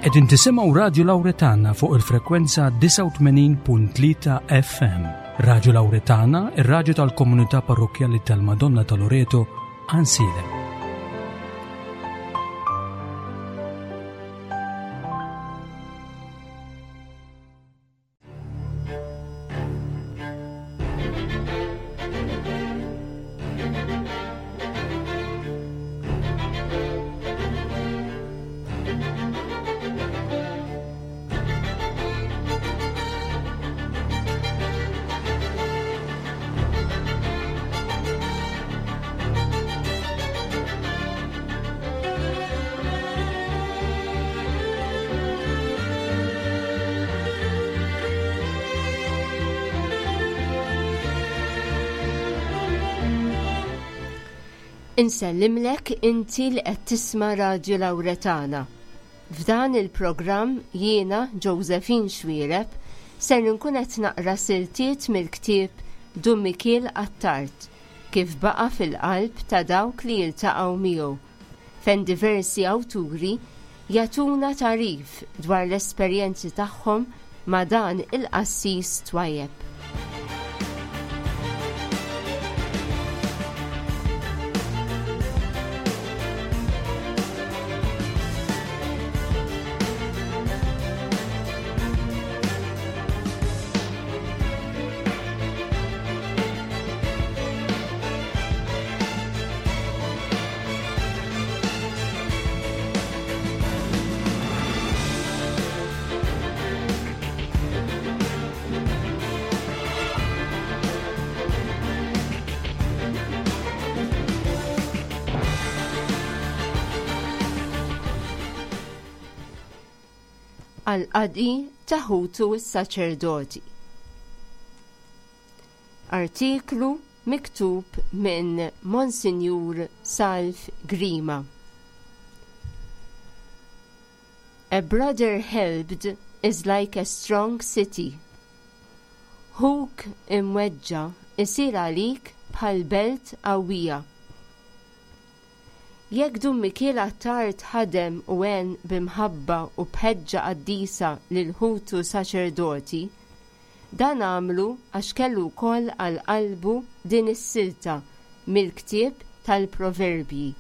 Qegħdin tisimgħu Radju Lawretana fuq il-frekwenza 89.3 FM. Radju Lawretana, ir-radju tal-komunità parrokkjali tal-Madonna ta' Loreto, Ansilem. Insellimlek inti li qed tisma' Radju Lawretana. F'dan il-programm jiena Josephine Xwiereb ser inkun qed naqra siltiet mill-ktieb Dun Mikiel Attard kif baqa' fil-qalb ta' dawk li jiltaqgħu miegħu fejn diversi awturi jagħtuna tagħrif dwar l-esperjenzi tagħhom ma' dan il-qassis twajjeb. Għall-qadi ta' ħutu s-saċerdoti. Artiklu miktub minn Monsinjur Salv Grima. A brother helped is like a strong city. Ħuk imweġġa' isir għalik bħal belt qawwija. Jekk Dun Mikiel Attard ħadem u għen bi mħabba u b'ħeġġa qaddisa lil ħutu saċerdoti, Dan għamlu għax kellu wkoll għal qalbu din is-silta mill-ktieb tal-Proverbji,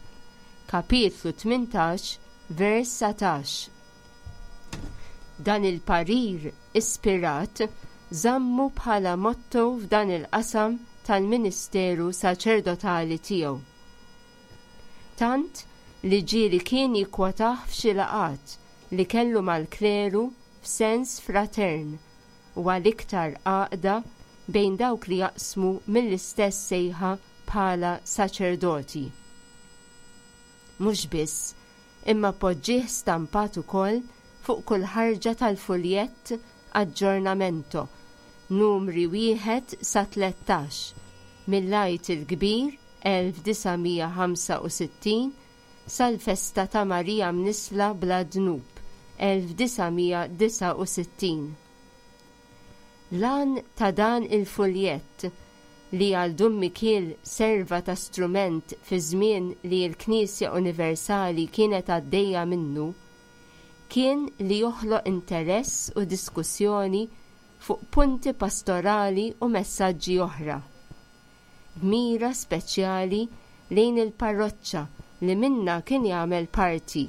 kapitlu 18, vers 19. Dan il-parir ispirat żammu bħala motto f'dan il-qasam tal-ministeru saċerdotali tiegħu. Tant li ġieli kien jikkwotah f'xi laqgħat li kellu mal-kleru f'sens fratern u għal iktar għaqda bejn dawk li jaqsmu mill-istess sejħa bħala saċerdoti. Mhux biss, imma poġġieh stampat ukoll fuq kull ħarġa tal-fuljett Aġġornamento, numri wieħed sa 13, mill-Għid il-Kbir 1965 sal-festa ta' Marija Mnissla Bla Dnub, 1969. L-għan ta' dan il-fuljett, li għal Dun Mikiel serva ta' strument fi żmien li l-Knisja Universali kienet għaddejja minnu, kien li joħloq interess u diskussjoni fuq punti pastorali u messaġġi oħra. b'mira speċjali lejn il-parroċċa li minnha kien jagħmel parti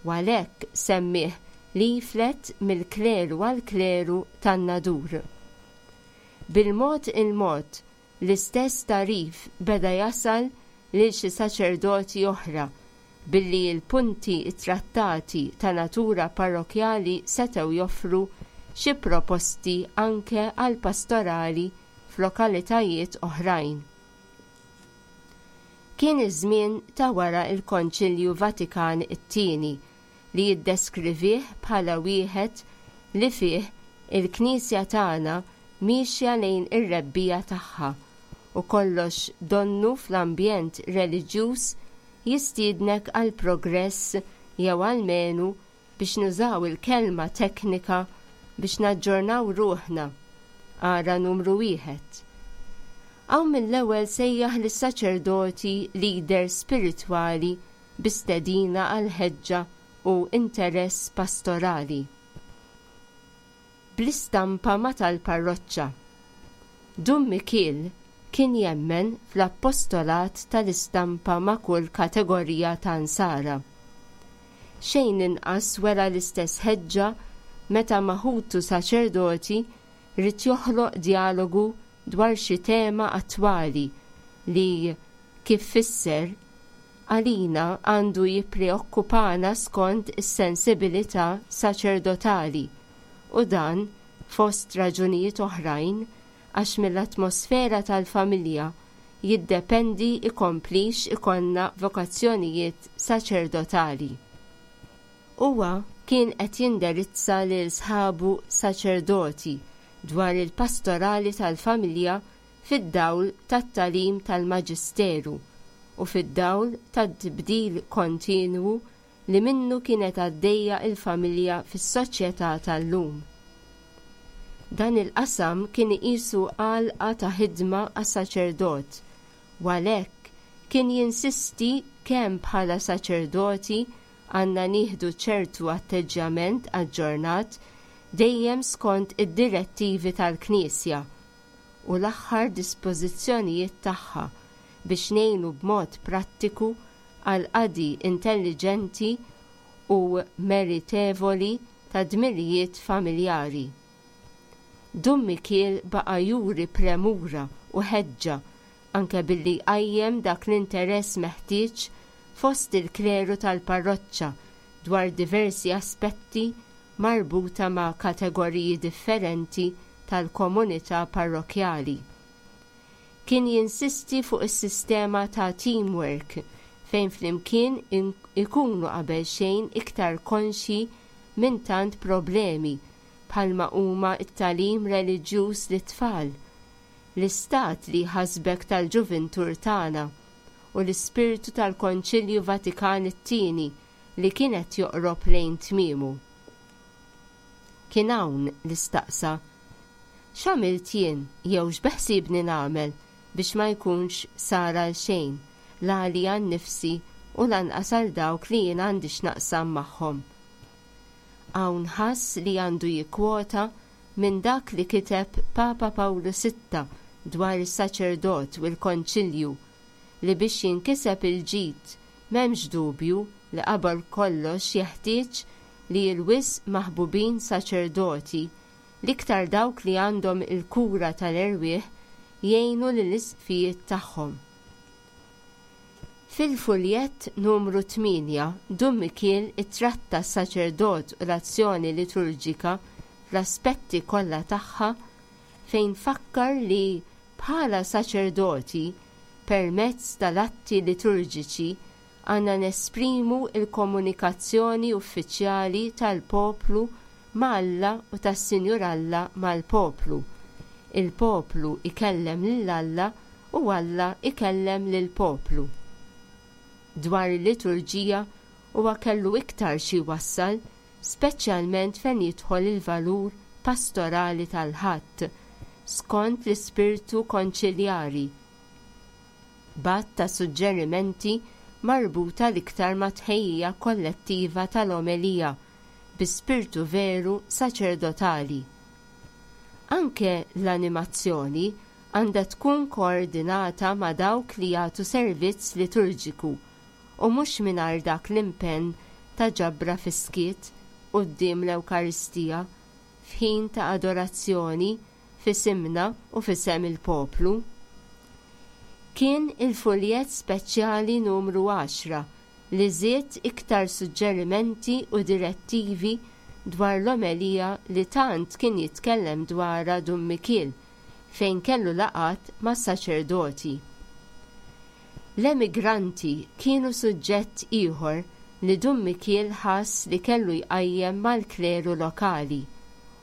u għalhekk semmieh leaflet mill-kleru għall-kleru tan-Nadur. Bil-mod il-mod l-istess tagħrif beda jasal lil xi saċerdoti oħra billi l-punti ttrattati ta' natura parrokkjali setgħu joffru xi proposti anke għall-pastorali f'lokalitajiet oħrajn. Kien iż-żmien ta' wara l-Konċilju Vatikan it-Tieni li jiddeskrivih bħala wieħed li fih il-Knisja tagħna miexja lejn ir-rebbiegħa tagħha u kollox donnu fl-ambjent reliġjuż jistiednek għall-progress jew almenu biex nużaw il-kelma teknika biex naġġornaw ruħna, ara numru wieħed. Hawn mill-ewwel sejjaħ lis-saċerdoti leaders spiritwali bi stedina għall-ħeġġa u interess pastorali. Bl-istampa ma' tal-parroċċa. Dun Mikiel kien jemmen fl-appostolat tal-istampa ma' kull kategorija ta' Nsara. Xejn inqas wera l-istess ħeġġa meta ma' ħutu saċerdoti ried joħloq djalogu dwar xi tema attwali li, kif fisser, għalina għandu jippreokkupana skont is-sensibilità saċerdotali u dan, fost raġunijiet oħrajn, għax mill-atmosfera tal-familja jiddependi jkomplix ikollna vokazzjonijiet saċerdotali. Huwa kien qed jindirizza lil sħabu saċerdoti dwar il-pastorali tal-familja fid-dawl tat-tagħlim tal-Maġisteru u fid-dawl tat-tibdil kontinwu li minnu kienet għaddejja l-familja fis-soċjetà tal-lum. Dan il-qasam kien iqisu għalqa ta' ħidma għas-saċerdot u għalhekk kien jinsisti kemm bħala saċerdoti għandna nieħdu ċertu atteġġjament aġġornat dejjem skont id-direttivi tal-Knisja u l-aħħar dispożizzjonijiet tagħha biex ngħinu b'mod prattiku għall-qadi intelliġenti u meritevoli tad-dmirijiet familjari. Dun Mikiel baqa' juri premura u ħeġġa anke billi jqajjem dak l-interess meħtieġ fost il-kleru tal-parroċċa dwar diversi aspetti marbuta ma' kategoriji differenti tal-komunità parrokkjali. Kien jinsisti fuq is-sistema ta' teamwork fejn flimkien ikunu qabelxejn iktar konxji minn tant problemi bħalma huma t-tagħlim reliġjuż lit-tfal, l-istat li jħassbek tal-ġuvintur tagħna u l-ispirtu tal-Konċilju Vatikan it-Tieni li kien qed joqrob lejn tmiemu. Kien hawn li staqsa, X'għamilt jien jew x'beħsiebni nagħmel biex ma jkunx sar għal xejn, la għalija nnifsi u lanqas għal dawk li jien għandi x'naqsam magħhom? Hawn ħass li għandu jikkwota minn dak li kiteb Papa Pawlu Sitta dwar is-saċerdot u l-Konċilju li biex jinkiseb il-ġid m'hemmx dubju li qabel kollox jeħtieġ li l-wisq maħbubin saċerdoti, l-iktar dawk li għandhom il-kura tal-erwieħ, jgħinu lill-isqfijiet tagħhom. Fil-fuljett numru 8, Dun Mikiel ittratta s-saċerdot u l-azzjoni liturġika fl-aspetti kollha tagħha fejn fakkar li bħala saċerdoti, permezz tal-atti liturġiċi, għandna nesprimu l-komunikazzjoni uffiċjali tal-poplu ma' Alla u tas-Sinjur Alla mal-poplu. Il-poplu jkellem lil Alla u Alla jkellem lill-poplu. Dwar il-liturġija huwa kellu iktar xi jwassal, speċjalment fejn jidħol il-valur pastorali tal-Ħadd, skont l-ispirtu konċiljari, b'għadd ta' suġġerimenti marbuta l-iktar mat-tħejjija kollettiva tal-omelija bi spirtu veru saċerdotali. Anke l-animazzjoni għandha tkun koordinata ma' dawk li jagħtu servizz liturġiku u mhux mingħajr dak l-impenn ta' ġabra fis-skiet quddiem l-Ewkaristija f'ħin ta' adorazzjoni f'isimna u f'isem il-poplu. Kien il-fuljett speċjali numru għaxra li żied iktar suġġerimenti u direttivi dwar l-omelija li tant kien jitkellem dwarha Dun Mikiel fejn kellu laqgħat mas-saċerdoti. L-emigranti kienu suġġett ieħor li Dun Mikiel ħass li kellu jqajjem mal-kleru lokali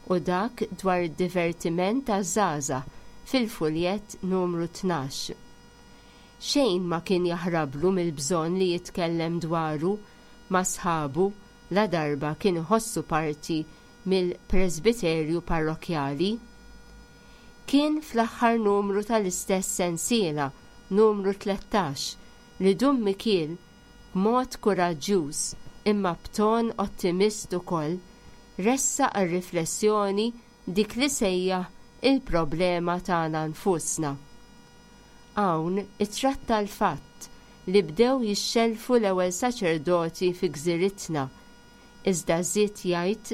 u dak dwar id-divertiment għaż-żgħażagħ fil-fuljett numru 12. Xejn ma kien jaħrablu mill-bżonn li jitkellem dwaru ma' sħabu ladarba kien iħossu parti mill-presbiterju parrokkjali. Kien fl-aħħar numru tal-istess sensiela, numru 13, li Dun Mikiel, b'mod kuraġġjuż, imma b'ton ottimist ukoll, ressaq għar-riflessjoni dik li sejjaħ il-problema tagħna nfusna. Hawn ittratta l-fatt li bdew jixxellfu l-ewwel saċerdoti fi gżiritna, iżda żied jgħid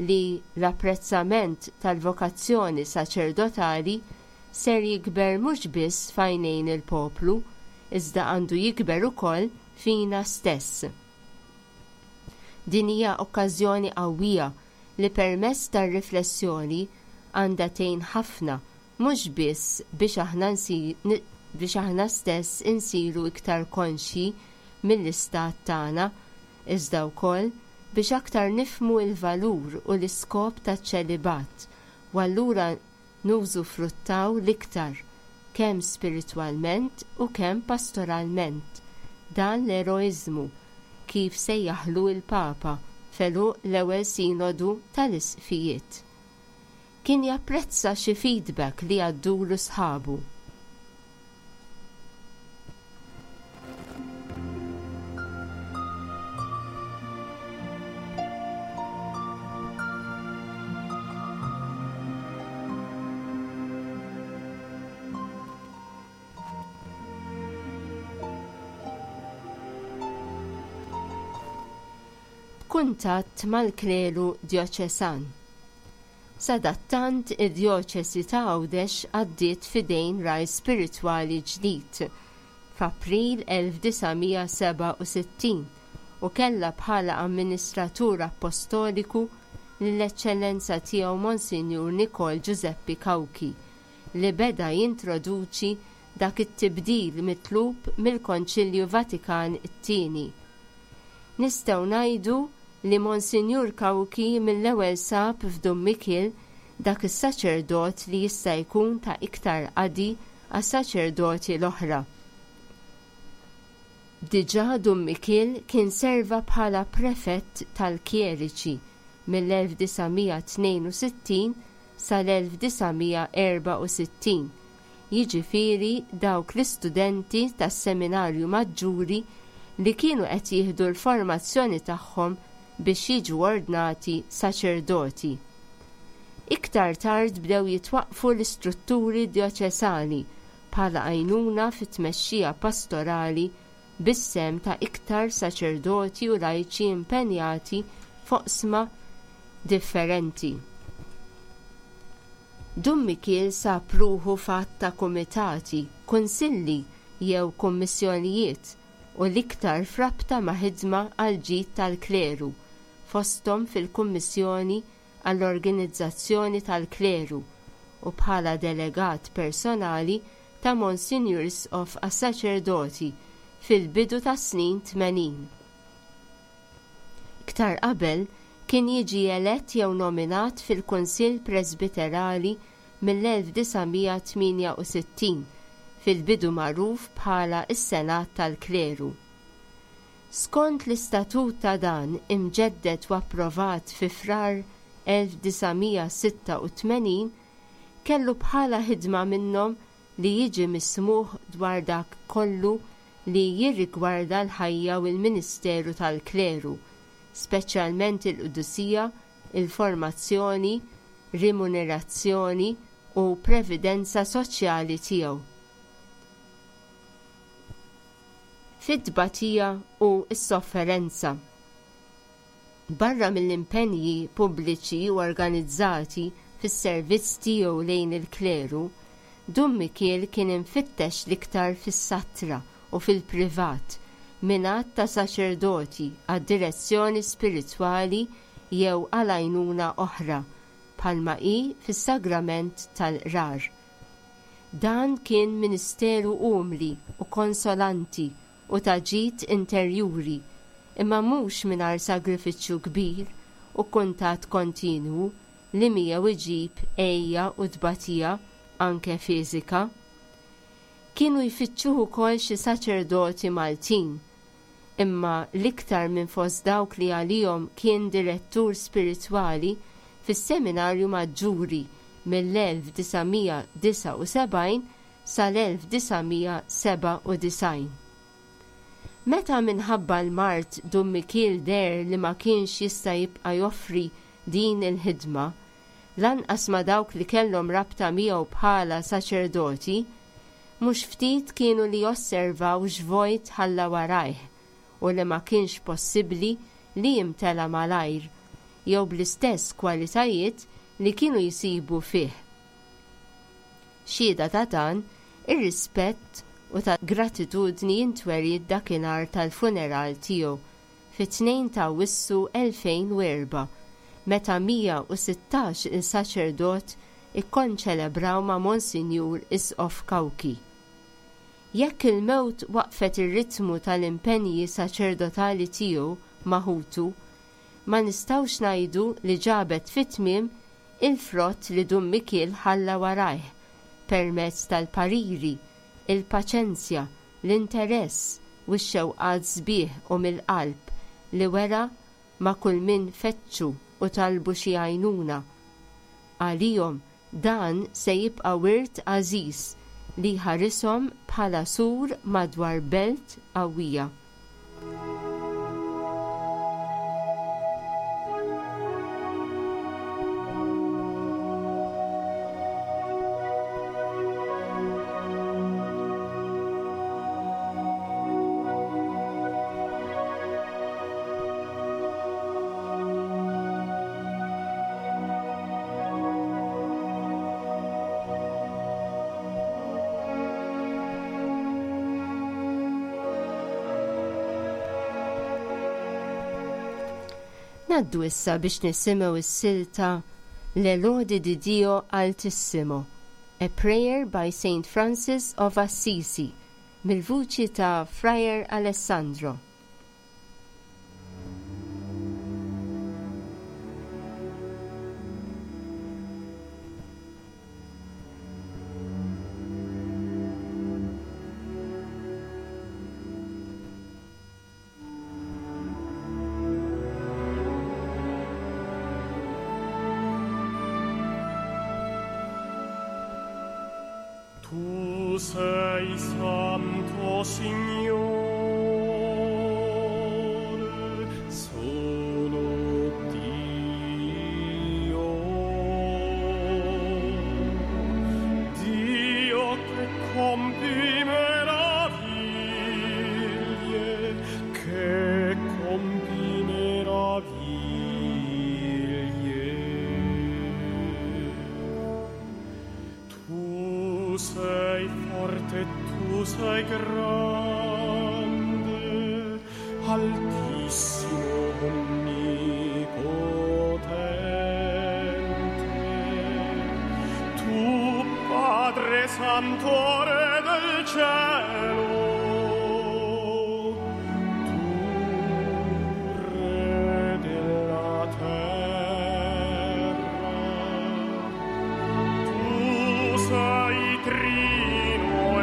li l-apprezzament tal-vokazzjoni saċerdotali ser jikber mhux biss f'għajnejn il-poplu, iżda għandu jikber ukoll fina stess. Din hija okkażjoni qawwija li permezz tar-riflessjoni għandha tgħin ħafna mhux biss biex aħna biex aħna stess insiru iktar konxji mill-istat tagħna, iżda wkoll biex aktar nifhmu l-valur u l-iskop taċ-ċelibat u allura nużufruttaw l-iktar, kemm spiritwalment u kemm pastoralment, dan l-eroiżmu, kif sejjaħlu l-Papa f'għeluq l-ewwel Sinodu tal-Isqfijiet. Kien japprezza xi feedback li jgħaddulu sħabu. B'kuntatt mal-kleru djoċesan. Sadattant id-Djoċesi ta' Għawdex għaddiet f'idejn ragħaj spiritwali ġdid f'April 1967 u kellha bħala amministratur appostoliku lill-Eċċellenza Tiegħu Monsinjur Nikol Ġużeppi Cauchi li beda jintroduċi dak it-tibdil mitlub mill-Konċilju Vatikan it-Tieni. Nistgħu ngħidu li Monsinjur Cauchi mill-ewwel sab f'Dun Mikiel dak is-saċerdot li jista' jkun ta' iktar qadi għas-saċerdoti l-oħra. Diġà Dun Mikiel kien serva bħala prefett tal-kjeriċi mill-1962 sal-1964, jiġifieri dawk l-istudenti tas-Seminarju Maġġuri li kienu qed jieħdu l-formazzjoni tagħhom biex jiġu ordnati saċerdoti. Iktar tard bdew jitwaqqfu l-istrutturi djoċesani bħala għajnuna fit-tmexxija pastorali bis-sehem ta' iktar saċerdoti u lajċi impenjati f'oqsma differenti. Dun Mikiel sab ruħu f'għadd ta' kumitati, kunsilli jew kummissjonijiet u l-iktar f'rabta ma' ħidma għall-ġid tal-kleru, fosthom fil-Kummissjoni għall-Organizzazzjoni tal-Kleru u bħala delegat personali ta' Monsinjur Isqof għas-Saċerdoti fil-bidu tas-snin 80. Iktar qabel kien jiġi elett jew nominat fil-Kunsill Presbiterali mill-1968, fil-bidu magħruf bħala s-Senat tal-Kleru. Skont l-istatut ta' dan, imġedded u approvat fi Frar 1986, kellu bħala ħidma minnhom li jiġi mismugħ dwar dak kollu li jirrigwarda l-ħajja u l-ministeru tal-kleru, speċjalment il-qdusija, il-formazzjoni, rimunerazzjoni u previdenza soċjali tiegħu. Fit-tbatija u s-sofferenza. Barra mill-impenji pubbliċi u organizzati fis-servizz tiegħu lejn il-kleru, Dun Mikiel kien imfittex l-iktar fis-satra u fil-privat minn għadd ta' saċerdoti għad-direzzjoni spiritwali jew għal għajnuna oħra, bħalma hi fis-sagrament tal-qrar. Dan kien ministeru umli u konsolanti u ta' ġid interjuri, imma mhux mingħajr sagrifiċċju kbir u kuntatt kontinwu li miegħu iġib għeja u tbatija anke fiżika. Kienu jfittxuh ukoll xi saċerdoti Maltin, imma l-iktar minn fost dawk li għalihom kien direttur spiritwali fis-Seminarju Maġġuri mill-1979 sal-1997. Meta minħabba l-mard Dun Mikiel deher li ma kienx jista' jibqa' joffri din il-ħidma, lanqas ma' dawk li kellhom rabta miegħu bħala saċerdoti, mhux ftit kienu li osservaw x'vojt ħalla warajh u li ma kienx possibbli li jimtela malajr jew bl-istess kwalitajiet li kienu jsibu fih. Xhieda ta' dan, ir-rispett u ta' gratitudni intweriet dakinhar tal-funeral tiegħu fit-2 ta' Awwissu 2004 meta 116 il saċerdot ikkonċelebraw ma' Monsinjur Isqof Cauchi. Jekk il-mewt waqqfet ir-ritmu tal-impenji saċerdotali tiegħu ma' ħutu, ma nistgħux ngħidu li ġabet fi tmiem il-frott li Dun Mikiel ħalla warajh permezz tal-pariri, il-paċenzja, l-interess u x-xewqat sbieħ u mill-qalb li wera ma' kull min fettxu u talbu xi għajnuna. Għalihom dan se jibqa' wirt għażiż li jħarishom bħala sur madwar belt qawwija. Ngħaddu issa biex nisimgħu s-silta Le Lodi di Dio Altissimo, A Prayer by Saint Francis of Assisi, mill-vuċi ta' Friar Alessandro. Tu sei santo, Signore, solo Dio. Dio che compi meraviglie, che compi meraviglie. Tu sei forte, tu sei grande, altissimo onnipotente. Tu, Padre Santo, Re del cielo, tu, Re della terra, tu sei trino e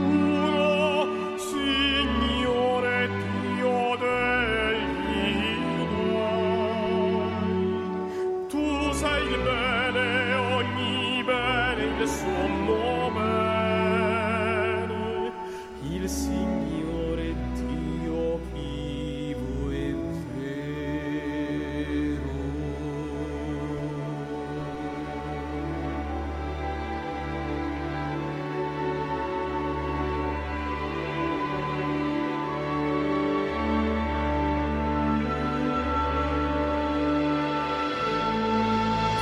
uno, Signore Dio degli dei. Tu sei il bene, ogni bene, il sommo bene, il Signore Dio vivo e vero.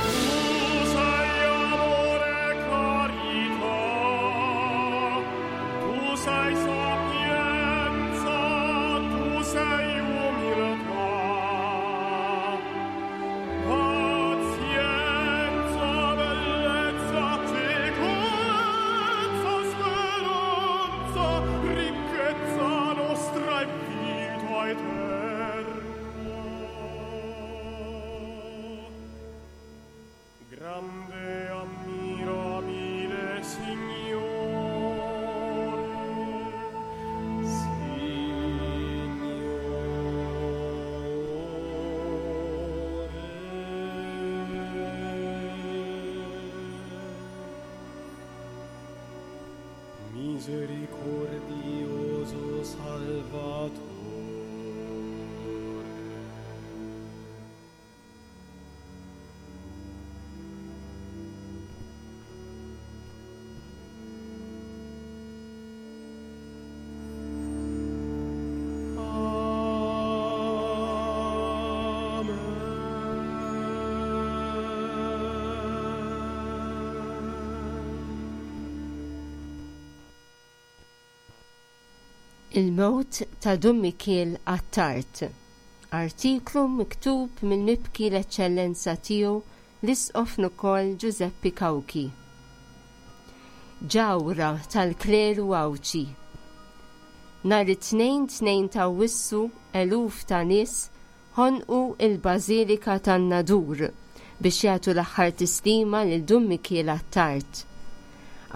Tu sei amore e carità, tu sei sapienza, tu sei umiltà, pazienza, bellezza, ciechezza, speranza, ricchezza nostra e vita eterna. Grande ammirabile Signore, Signore. Misericordioso Il-mewt ta' Dun Mikiel Attard. Artiklu miktub mill-mibki l-Eċċellenza Tiegħu l-Isqof Nukol Ġużeppi Cauchi. Ġawhra tal-kleru Għawdxi. Nhar it-Tnejn 2 t'Awwissu eluf ta' nies ħonqu l-Bażilika tan-Nadur biex jagħtu l-aħħar tislima lil Dun Mikiel Attard.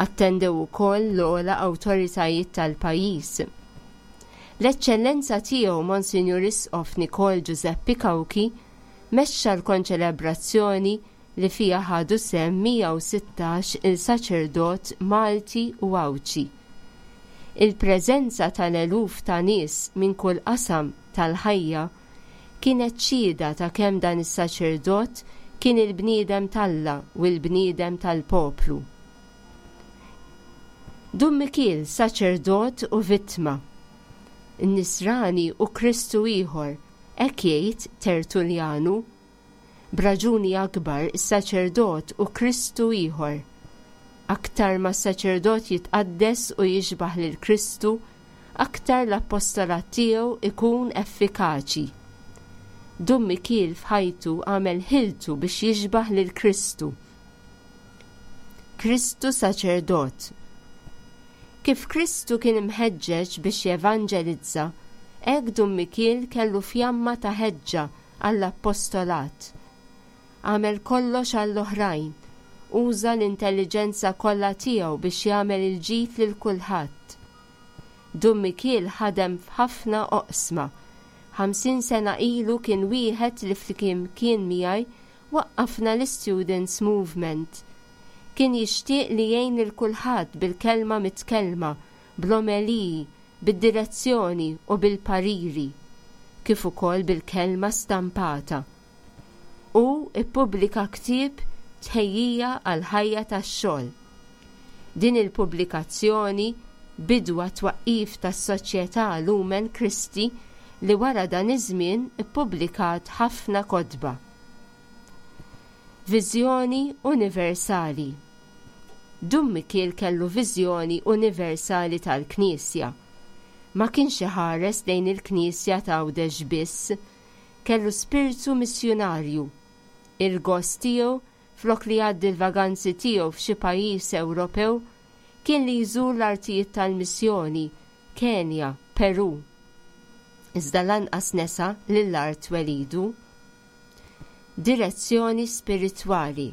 Attendew ukoll l-ogħla awtoritajiet tal-pajjiż. L-Eċċellenza Tiegħu Monsinjur Isqof Nikol Ġużeppi Cauchi mexxa l-konċelebrazzjoni li fiha ħadu sehem 116 il saċerdot Malti u Għawdxi. Il-preżenza tal-eluf ta' nies minn kull qasam tal-ħajja kienet xhieda ta' kemm dan is-saċerdot kien il-bniedem t'Alla u l-bniedem tal-poplu. Dun Mikiel saċerdot u vittma. N-Nisrani hu Kristu ieħor, hekk jgħid Tertulljanu. B'raġuni akbar is-saċerdot hu Kristu ieħor. Aktar ma s-saċerdot jitqaddes u jixbah lil Kristu, aktar l-appostolat tiegħu ikun effikaċi. Dun Mikiel f'ħajtu għamel ħiltu biex jixbah lil Kristu. Kristu saċerdot. Kif Kristu kien imħeġġeġ biex jevanġelizza, hekk Dun Mikiel kellu fjamma ta' ħeġġa għall-appostolat. Għamel kollox għall-oħrajn, uża l-intelliġenza kollha tiegħu biex jagħmel il-ġid lil kulħadd. Dun Mikiel ħadem f'ħafna oqsma. 50 sena ilu kien wieħed li flimkien miegħi waqqafna l-Istudents Movement. Kien jixtieq li jgħin lil kulħadd bil-kelma mitkellma, bl-omeliji, bid-direzzjoni u bil-pariri, kif ukoll bil-kelma stampata. Hu ppubblika ktieb Tħejjija għall-Ħajja tax-Xogħol. Din il-pubblikazzjoni bidu għat-twaqqif tas-Soċjetà Lumen Christi li wara dan iż-żmien ippubblikat ħafna kotba. Viżjoni universali Dun Mikiel kellu viżjoni universali tal-Knisja. Ma kienx iħares lejn il-Knisja t'Għawdex biss. Kellu spirtu missjunarju. Il-gost tiegħu, flok li jgħaddi l-vaganzi tiegħu f'xi pajjiż Ewropew, kien li jżur l-artijiet tal-missjoni, Kenja, Perù. Iżda lanqas nesa lil art twelidu. Direzzjoni spiritwali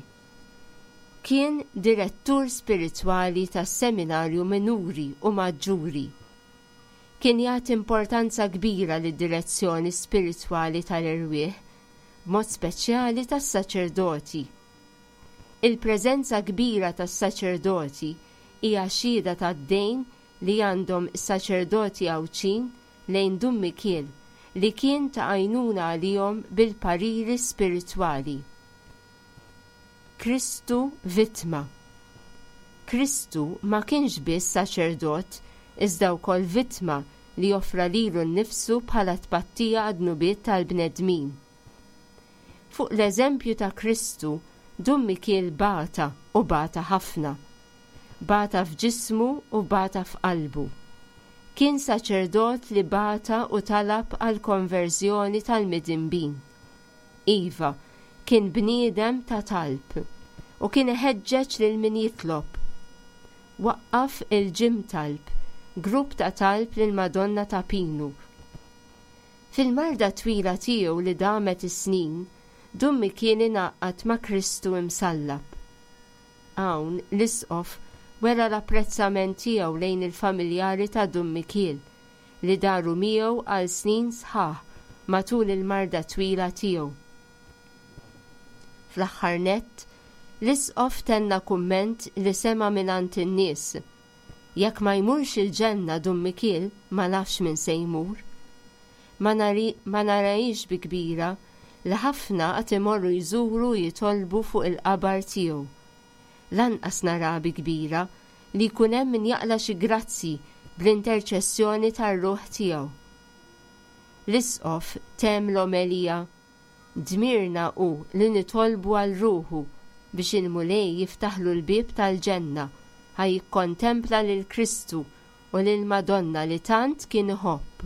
Kien direttur spiritwali tas-Seminarju Minuri u Maġġuri. Kien jagħti importanza kbira lid-direzzjoni spiritwali tal-erwieħ, b'mod speċjali tas-saċerdoti. Il-preżenza kbira tas-saċerdoti hija xhieda tad-dejn li għandhom is-saċerdoti Għawdxin lejn Dun Mikiel li kien ta' għajnuna għalihom bil-pariri spiritwali. Kristu vittma. Kristu ma kienx biss saċerdot iżda wkoll vittma li offra lilu nnifsu bħala tpattija għad-dnubiet tal-bnedmin. Fuq l-eżempju ta' Kristu, Dun Mikiel bata u bata ħafna. Bata f'ġismu u bata f'qalbu. Kien saċerdot li bata u talab għall-konverżjoni tal-midinbin. Iva, kien bniedem ta' talb u kien iħeġġeġ lil min jitlob. Waqqaf il-Gym Talb, grupp ta' talb lill-Madonna ta' Pinu. Fil-marda twila tiegħu li damet is-snin, Dun Mikiel ingħaqad ma' Kristu imsallab. Hawn, l-Isqof wera l-apprezzament tiegħu lejn il-familjari ta' Dun Mikiel, li daru miegħu għal snin sħaħ matul il-marda twila tiegħu. Fl-aħħar nett, l-Isqof tenna kumment li sema' mingħand in-nies, Jekk ma jmurx il-ġenna Dun Mikiel ma nafx min se jmur. Ma narahiex bi kbira li ħafna għad imorru jżuru u jitolbu fuq il-qabar tiegħu. Lanqas naraha bi kbira li jkun hemm min jaqla' xi grazzji bl-interċessjoni tar-ruħ tiegħu. L-Isqof temm l-omelija, Dmirna hu li nitolbu għal ruħu biex il-Mulej jiftaħlu l-bieb tal-ġenna ħa jikkontempla lil Kristu u lill-Madonna li tant kien iħobb.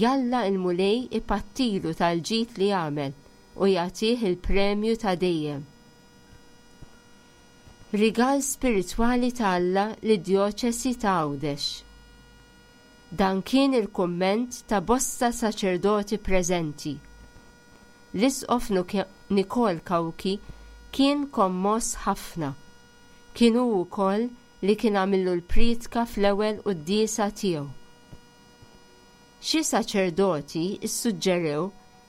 Jalla l-Mulej ipattilu tal-ġid li għamel u jagħtih il-premju ta' dejjem. Rigal spiritwali ta' Alla lid-Djoċesi ta' Għawdex. Dan kien il-kumment ta' bosta saċerdoti preżenti. L-Isqof Nikol Cauchi kien kommoss ħafna. Kien hu wkoll li kien għamillu l-prietka fl-ewwel quddiesa tiegħu. Xi saċerdoti ssuġġerew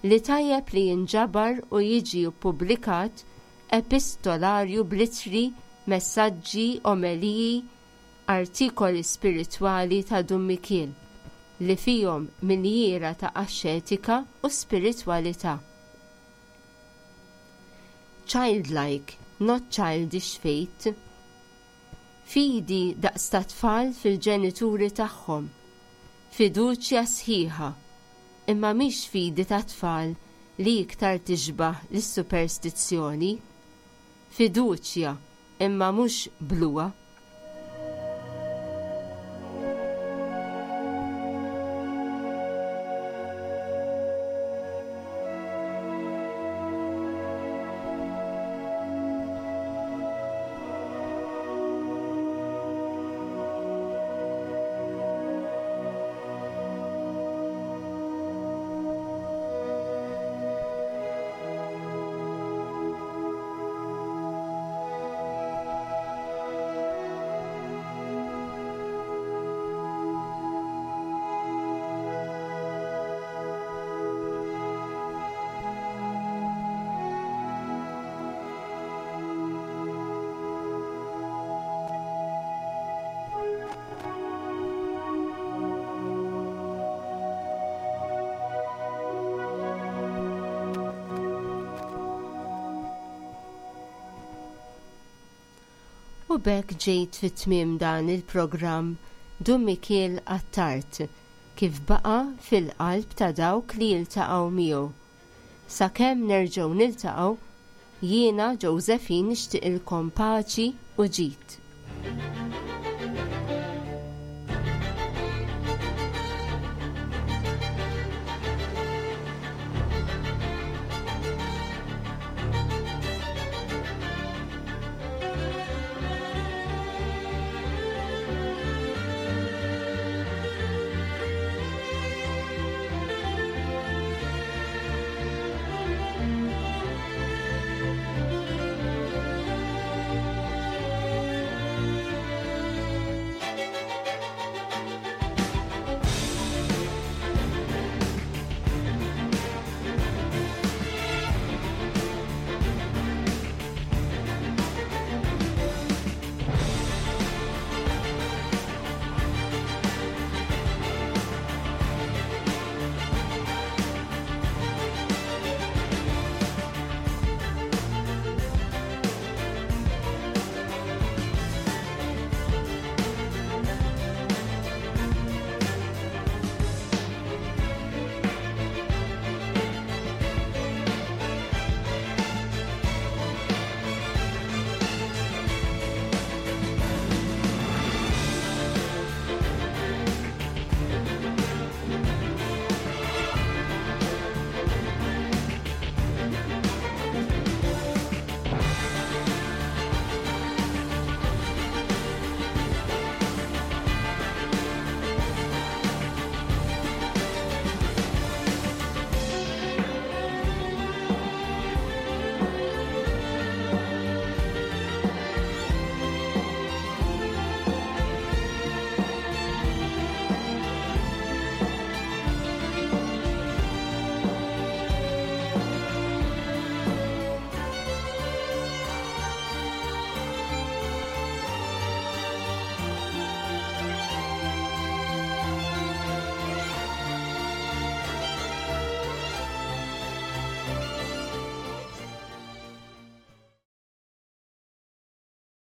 li tajjeb li jinġabar u jiġi ppubblikat epistolarju bl-ittri, messaġġi, omeliji, artikoli spiritwali ta' Dun Mikiel li fihom minjiera ta' axxetika u spiritwalità. Childlike, not childish faith. Fidi daqs ta' tfal fil-ġenituri tagħhom. Fiduċja sħiħa. Imma mhix fidi ta' tfal li iktar tixbah lis-superstizzjoni. Fiduċja, imma mhux bluha. U b'hekk ġejt fi tmiem dan il-programm Dun Mikiel Attard kif baqa' fil-qalb ta' dawk li jiltaqgħu miegħu. Sakemm nerġgħu niltaqgħu, jiena Josephine nixtieqilkom paċi u ġid.